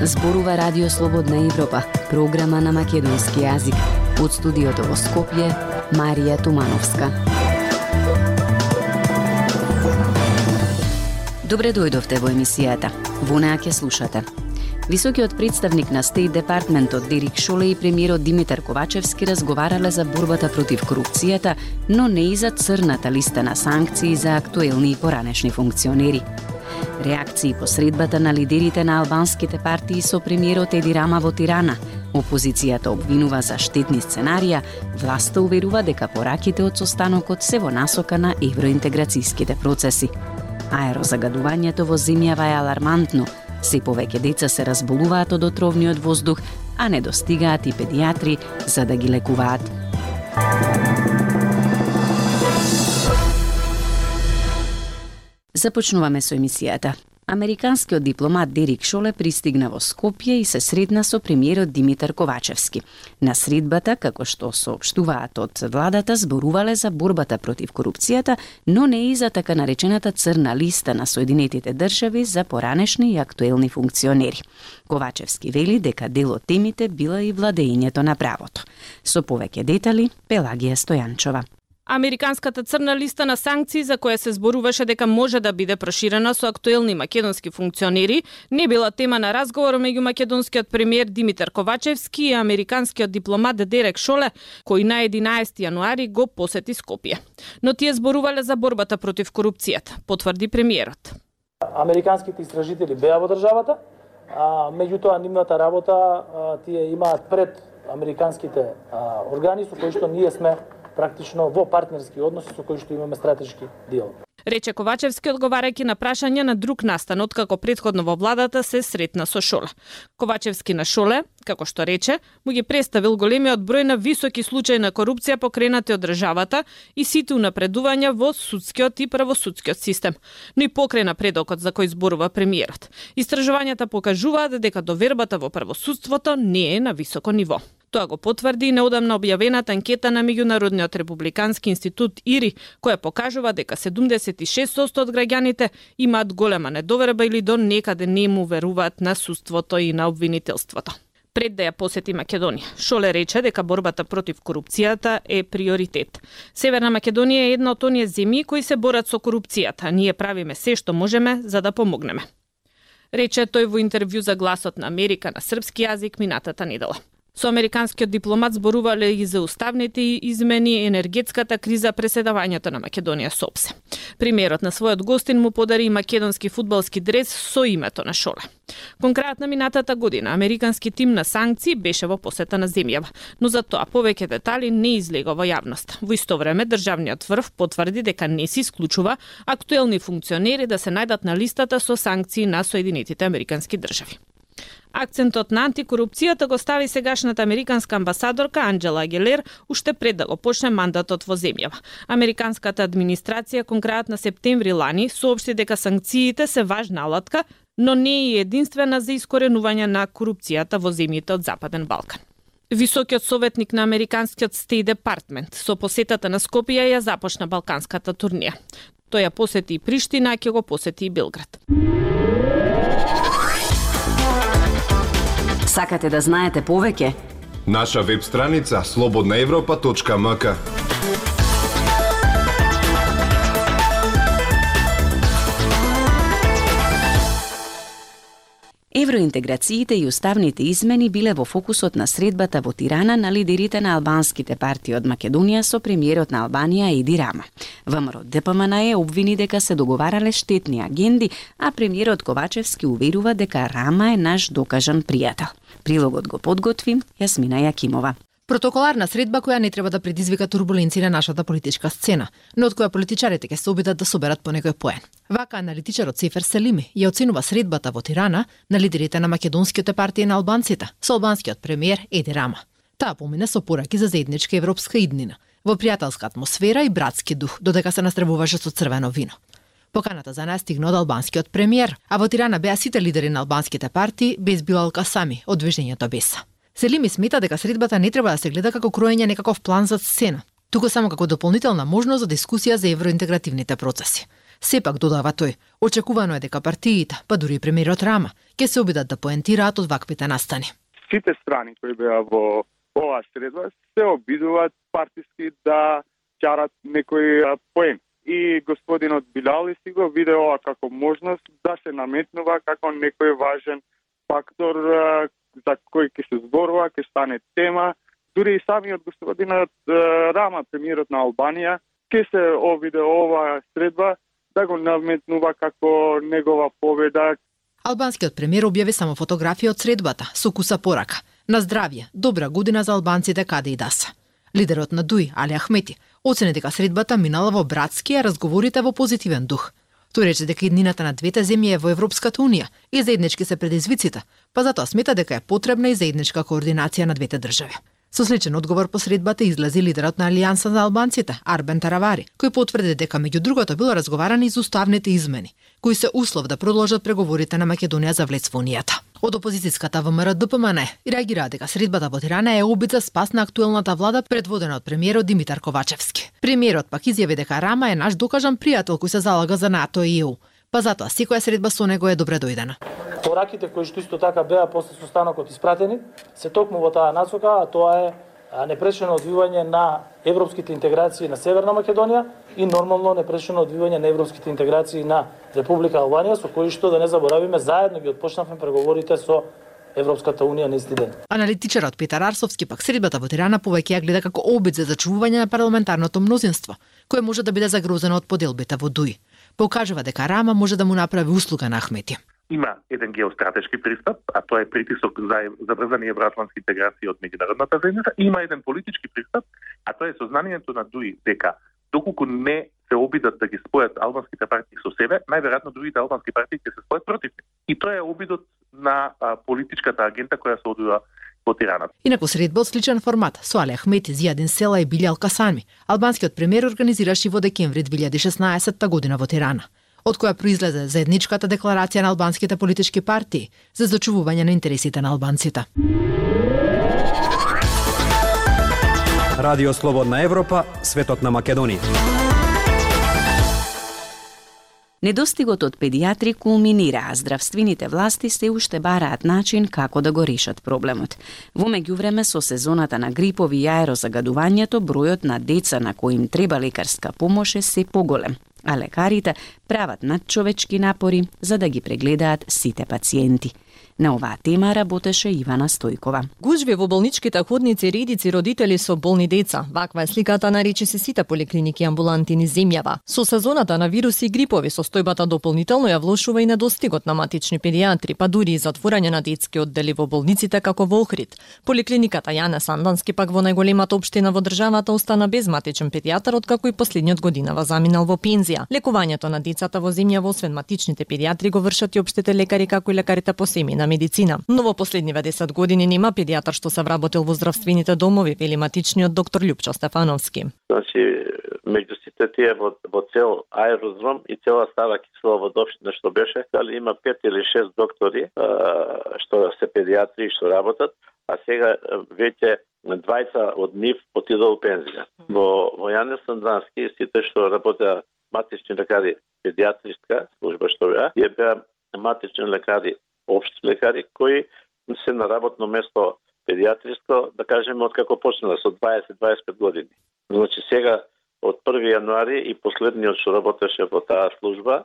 Зборува Радио Слободна Европа, програма на македонски јазик. Од студиото во Скопје, Марија Тумановска. Добре дојдовте во емисијата. Во неа ќе слушате. Високиот представник на Стейт Департментот Дерик Шоле и премиерот Димитар Ковачевски разговарале за борбата против корупцијата, но не и за црната листа на санкции за актуелни и поранешни функционери. Реакции по средбата на лидерите на албанските партии со премиерот Еди Рама во Тирана. Опозицијата обвинува за штетни сценарија, власта уверува дека пораките од состанокот се во насока на евроинтеграцијските процеси. Аерозагадувањето во земјава е алармантно. Се повеќе деца се разболуваат од отровниот воздух, а не достигаат и педиатри за да ги лекуваат. Започнуваме со емисијата. Американскиот дипломат Дерик Шоле пристигна во Скопје и се сретна со премиерот Димитар Ковачевски. На средбата, како што соопштуваат од владата, зборувале за борбата против корупцијата, но не и за така наречената црна листа на Соединетите држави за поранешни и актуелни функционери. Ковачевски вели дека дел од темите била и владеењето на правото. Со повеќе детали, Пелагија Стојанчова. Американската црна листа на санкции за која се зборуваше дека може да биде проширена со актуелни македонски функционери, не била тема на разговор меѓу македонскиот премиер Димитар Ковачевски и американскиот дипломат Дерик Шоле, кој на 11 јануари го посети Скопје. Но тие зборувале за борбата против корупцијата, потврди премиерот. Американските истражители беа во државата, меѓутоа нивната работа тие имаат пред американските органи со кои што ние сме практично во партнерски односи со кои што имаме стратешки дел. Рече Ковачевски одговарајќи на прашање на друг настан откако претходно во владата се сретна со Шоле. Ковачевски на Шоле, како што рече, му ги представил големиот број на високи случаи на корупција покренати од државата и сите унапредувања во судскиот и правосудскиот систем, но и покрај напредокот за кој зборува премиерот. Истражувањата покажуваат дека довербата во правосудството не е на високо ниво. Тоа го потврди и неодамна објавената анкета на Меѓународниот републикански институт ИРИ, која покажува дека 76% од граѓаните имаат голема недоверба или до некаде не му веруваат на судството и на обвинителството. Пред да ја посети Македонија, Шоле рече дека борбата против корупцијата е приоритет. Северна Македонија е една од оние земји кои се борат со корупцијата. Ние правиме се што можеме за да помогнеме. Рече тој во интервју за Гласот на Америка на српски јазик минатата недела. Со американскиот дипломат зборувале и за уставните измени, енергетската криза, преседавањето на Македонија со ОПСЕ. Премиерот на својот гостин му подари македонски фудбалски дрес со името на Шоле. Кон крајот на минатата година, американски тим на санкции беше во посета на земјава, но за тоа повеќе детали не излега во јавност. Во исто време, државниот врв потврди дека не се исклучува актуелни функционери да се најдат на листата со санкции на Соединетите Американски држави. Акцентот на антикорупцијата го стави сегашната американска амбасадорка Анџела Агилер уште пред да го почне мандатот во земјава. Американската администрација кон крајот на септември лани соопшти дека санкциите се важна алатка, но не е единствена за искоренување на корупцијата во земјите од Западен Балкан. Високиот советник на американскиот Стейт Департмент со посетата на Скопје ја започна балканската турнија. Тој ја посети и Приштина, а ќе го посети и Белград. Сакате да знаете повеќе? Наша веб страница slobodnaevropa.mk. Евроинтеграциите и уставните измени биле во фокусот на средбата во Тирана на лидерите на албанските партии од Македонија со премиерот на Албанија Еди Рама. ВМРО ДПМН обвини дека се договарале штетни агенди, а премиерот Ковачевски уверува дека Рама е наш докажан пријател. Прилогот го подготви Јасмина Јакимова. Протоколарна средба која не треба да предизвика турбуленции на нашата политичка сцена, но од која политичарите ќе се обидат да соберат по некој поен. Вака аналитичарот Сефер Селими ја оценува средбата во Тирана на лидерите на македонските партии на албанците со албанскиот премиер Еди Рама. Таа помине со пораки за заедничка европска иднина, во пријателска атмосфера и братски дух, додека се настребуваше со црвено вино. Поканата за нас стигна од албанскиот премиер, а во Тирана беа сите лидери на албанските партии без Билал Касами од движењето Беса. Селими смета дека средбата не треба да се гледа како кроење некаков план за сцена, туку само како дополнителна можност за дискусија за евроинтегративните процеси. Сепак, додава тој, очекувано е дека партиите, па дури и премиерот Рама, ќе се обидат да поентираат од ваквите настани. Сите страни кои беа во оваа средба се обидуваат партиски да чарат некој поен. И господинот Билали си го виде ова како можност да се наметнува како некој важен фактор за кој ќе се зборува, ќе стане тема. Дури и самиот господинот Рама, премиерот на Албанија, ќе се обиде оваа средба да го наметнува како негова победа. Албанскиот премиер објави само фотографија од средбата со куса порака. На здравје, добра година за албанците каде и да се. Лидерот на ДУИ, Али Ахмети, оцени дека средбата минала во братски, а разговорите во позитивен дух. Тој рече дека иднината на двете земји е во Европската унија и заеднички се предизвиците, па затоа смета дека е потребна и заедничка координација на двете држави. Со сличен одговор по средбата излезе лидерот на Алијанса за албанците, Арбен Таравари, кој потврди дека меѓу другото било разговарано и за уставните измени, кои се услов да продолжат преговорите на Македонија за влез во унијата. Од опозицијската ВМРО ДПМН реагира дека средбата во Тирана е обид за спас на актуелната влада предводена од премиерот Димитар Ковачевски. Премиерот пак изјави дека Рама е наш докажан пријател кој се залага за НАТО и ЕУ. Па затоа секоја средба со него е добре дојдена. Пораките кои што исто така беа после состанокот испратени се токму во таа насока, а тоа е непречено одвивање на европските интеграции на Северна Македонија и нормално непречено одвивање на европските интеграции на Република Албанија, со кои што да не заборавиме заедно ги отпочнавме преговорите со Европската унија на исти ден. Аналитичарот Петар Арсовски пак средбата во Тирана повеќе ја гледа како обид за зачувување на парламентарното мнозинство, кое може да биде загрозено од поделбите во ДУИ. Покажува дека Рама може да му направи услуга на Ахмети. Има еден геостратешки пристап, а тоа е притисок за брзани евроатлантски интеграции од меѓународната заедница. Има еден политички пристап, а тоа е сознанието на ДУИ дека доколку не се обидат да ги спојат албанските партии со себе, најверојатно другите албански партии ќе се спојат против нив. И тоа е обидот на политичката агента која се одвива во Тирана. Инаку средба од сличен формат со Али Ахмети, Зијадин Села и Билјал Касами, албанскиот премиер организираше во декември 2016 година во Тирана, од која произлезе заедничката декларација на албанските политички партии за зачувување на интересите на албанците. Радио Слободна Европа, светот на Македонија. Недостигот од педиатри кулминира, а здравствените власти се уште бараат начин како да го решат проблемот. Во меѓувреме со сезоната на грипови и аерозагадувањето, бројот на деца на кои им треба лекарска помош е се поголем, а лекарите прават надчовечки напори за да ги прегледаат сите пациенти. На оваа тема работеше Ивана Стојкова. Гужви во болничките ходници, редици родители со болни деца. Ваква е сликата на речиси сите поликлиники и амбуланти низ земјава. Со сезоната на вируси и грипови состојбата дополнително ја влошува и недостигот на матични педиатри, па дури и затворање на детски оддели во болниците како во Охрид. Поликлиниката Јане Сандански пак во најголемата општина во државата остана без матичен педијатар откако и последниот годинава заминал во пензија. Лекувањето на децата во земјава освен матичните педиатри го вршат и општите лекари како и лекарите по семејна медицина. Но во последниве 10 години нема педијатар што се вработил во здравствените домови, вели матичниот доктор Љупчо Стефановски. Значи, меѓу сите тие во цел аеродром и цела Стара Киселоводопштина што беше, дали има 5 или 6 доктори што се педиатри што работат, а сега веќе двајца од нив отидоа во пензија. Во Јане Сандански сите што работеа матични лекари, педиатриска служба што беа матични лекари, општи лекари кои се на работно место педиатриско, да кажеме, откако почнала со 20-25 години. Значи сега од 1 јануари и последниот што работеше во таа служба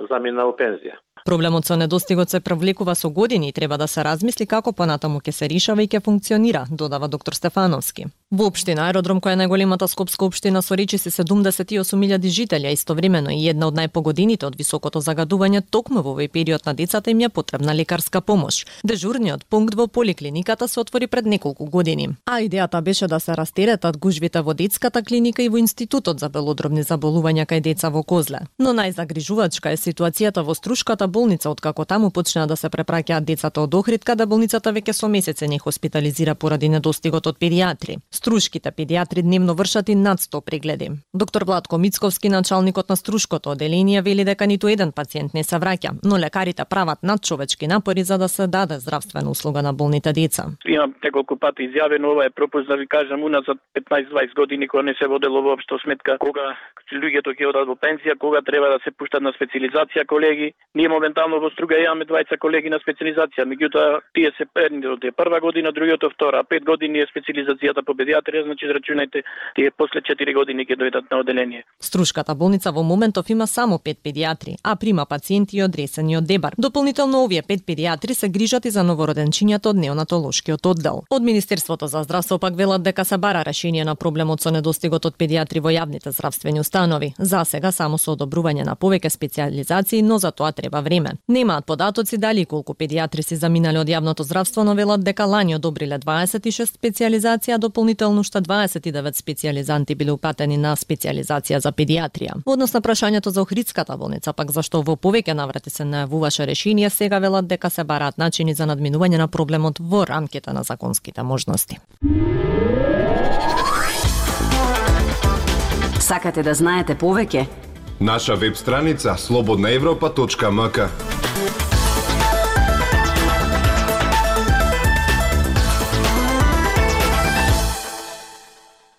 замина во пензија. Проблемот со недостигот се провлекува со години и треба да се размисли како понатаму ќе се решава и ќе функционира, додава доктор Стефановски. Во општина Аеродром, која е најголемата скопска општина со речиси 78.000 жители, а истовремено и една од најпогодените од високото загадување, токму во овој период на децата им ја потребна лекарска помош. Дежурниот пункт во поликлиниката се отвори пред неколку години. А идејата беше да се растеретат гужвите во детската клиника и во Институтот за белодробни заболувања кај деца во Козле. Но најзагрижувачка е ситуацијата во Струшката болница, откако таму почнаа да се препраќаат децата од Охрид, каде болницата веќе со месеци не хоспитализира поради недостигот од педиатри. Струшките педиатри дневно вршат и над 100 прегледи. Доктор Владко Мицковски, началникот на Струшкото оделение, вели дека ниту еден пациент не се враќа, но лекарите прават надчовечки напори за да се даде здравствена услуга на болните деца. Имам неколку пати изјавено, ова е пропуст да ви кажам, уназад 15-20 години кога не се водело воопшто сметка кога луѓето ќе одат во пензија, кога треба да се пуштат на специализација колеги. Ние моментално во Струга имаме 20 колеги на специализација, меѓутоа тие се едното е прва година, другото втора, 5 години е специализацијата по педиатрија, значи израчунајте тие после 4 години ќе дојдат на оделение. Струшката болница во моментов има само 5 педиатри, а прима пациенти одресени од Дебар. Дополнително овие 5 педиатри се грижат и за новороденчињата од неонатолошкиот оддел. Од Министерството за здравство пак велат дека се бара решение на проблемот со недостигот од педиатри во јавните здравствени установи. За сега само со одобрување на повеќе специализации, но за тоа треба време. Немаат податоци дали и колку педиатри се заминале од јавното здравство, но велат дека лани одобриле 26 специализација, дополнително уште 29 специализанти биле упатени на специализација за педиатрија. Во однос на прашањето за Охридската болница, пак зашто во повеќе наврати се најавуваше решение, сега велат дека се бараат начини за надминување на проблемот во рамките на законските можности. Сакате да знаете повеќе? Наша веб страница slobodnaevropa.mk.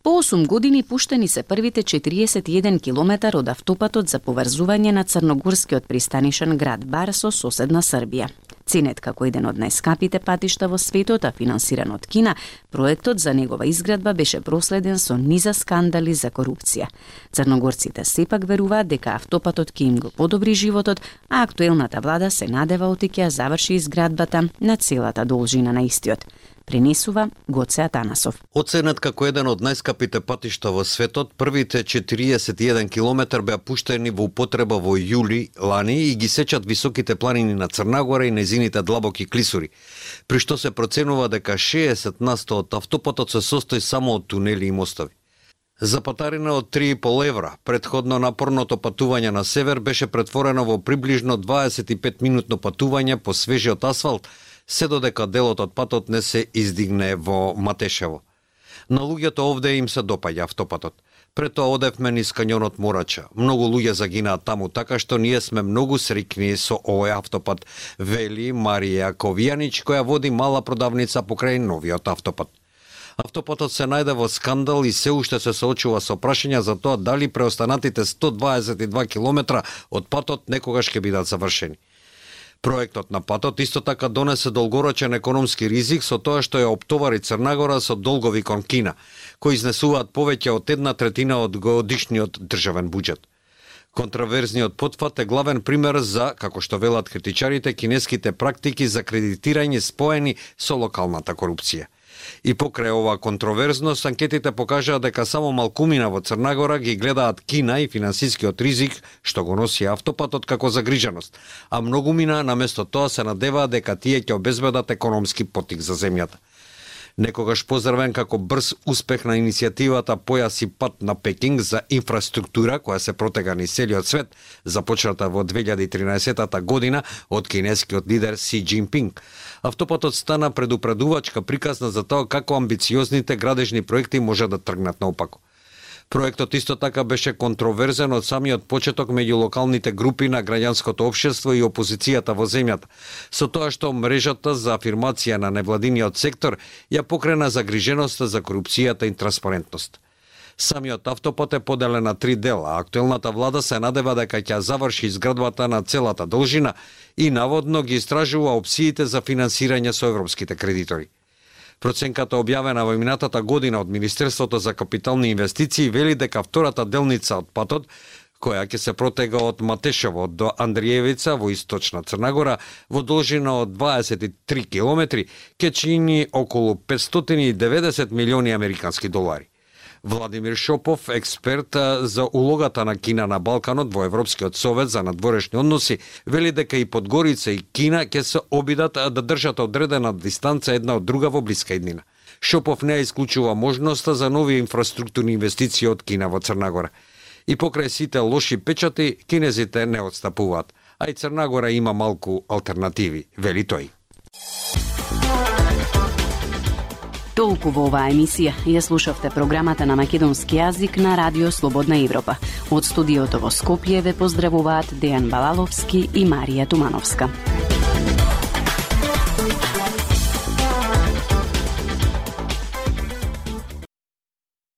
По 8 години пуштени се првите 41 километар од автопатот за поврзување на црногорскиот пристанишен град Бар со соседна Србија. Ценет како еден од најскапите патишта во светот, а финансиран од Кина, проектот за негова изградба беше проследен со низа скандали за корупција. Црногорците сепак веруваат дека автопатот ќе им го подобри животот, а актуелната влада се надева оти ќе заврши изградбата на целата должина на истиот. Пренесува Гоце Атанасов. Оценет како еден од најскапите патишта во светот, првите 41 километар беа пуштени во употреба во јули лани и ги сечат високите планини на Црнагора и незините длабоки клисури, при што се проценува дека 60% од автопатот се состои само од тунели и мостови. За патарина од 3,5 евра, предходно напорното патување на север беше претворено во приближно 25-минутно патување по свежиот асфалт, се додека делот од патот не се издигне во Матешево. На луѓето овде им се допаѓа автопатот. Пред тоа одевме низ кањонот Морача. Многу луѓе загинаат таму, така што ние сме многу среќни со овој автопат, вели Марија Ковијанич, која води мала продавница покрај новиот автопат. Автопатот се најде во скандал и се уште се соочува со прашања за тоа дали преостанатите 122 километра од патот некогаш ќе бидат завршени. Проектот на патот исто така донесе долгорочен економски ризик со тоа што ја оптовари Црнагора со долгови кон Кина, кои изнесуваат повеќе од 1/3 од годишниот државен буџет. Контраверзниот потфат е главен пример за, како што велат критичарите, кинеските практики за кредитирање споени со локалната корупција. И покрај ова контроверзност, анкетите покажаа дека само малкумина во Црнагора ги гледаат Кина и финансискиот ризик што го носи автопатот како загриженост, а многумина наместо тоа се надеваат дека тие ќе обезбедат економски потик за земјата. Некогаш поздравен како брз успех на иницијативата Појас и пат на Пекинг за инфраструктура, која се протега низ целиот свет, започната во 2013 година од кинескиот лидер Си Џинпинг. Автопатот стана предупредувачка приказна за тоа како амбициозните градежни проекти може да тргнат наопако. Проектот исто така беше контроверзен од самиот почеток меѓу локалните групи на граѓанското општество и опозицијата во земјата, со тоа што мрежата за афирмација на невладиниот сектор ја покрена загриженоста за корупцијата и транспарентност. Самиот автопат е поделен на 3 дела, а актуелната влада се надева дека ќе заврши изградбата на целата должина и наводно ги истражува опциите за финансирање со европските кредитори. Проценката објавена во минатата година од Министерството за капитални инвестиции вели дека втората делница од патот, која ќе се протега од Матешево до Андриевица во источна Црнагора во должина од 23 километри, ќе чини околу 590 милиони американски долари. Владимир Шопов, експерт за улогата на Кина на Балканот во Европскиот совет за надворешни односи, вели дека и Подгорица и Кина ќе се обидат да држат одредена дистанца една од друга во блиска иднина. Шопов не исклучува можноста за нови инфраструктурни инвестиции од Кина во Црнагора. И покрај сите лоши печати, кинезите не отстапуваат, а и Црнагора има малку алтернативи, вели тој. Толку во оваа емисија. Ја слушавте програмата на македонски јазик на Радио Слободна Европа. Од студиото во Скопје ве поздравуваат Дејан Балаловски и Марија Тумановска.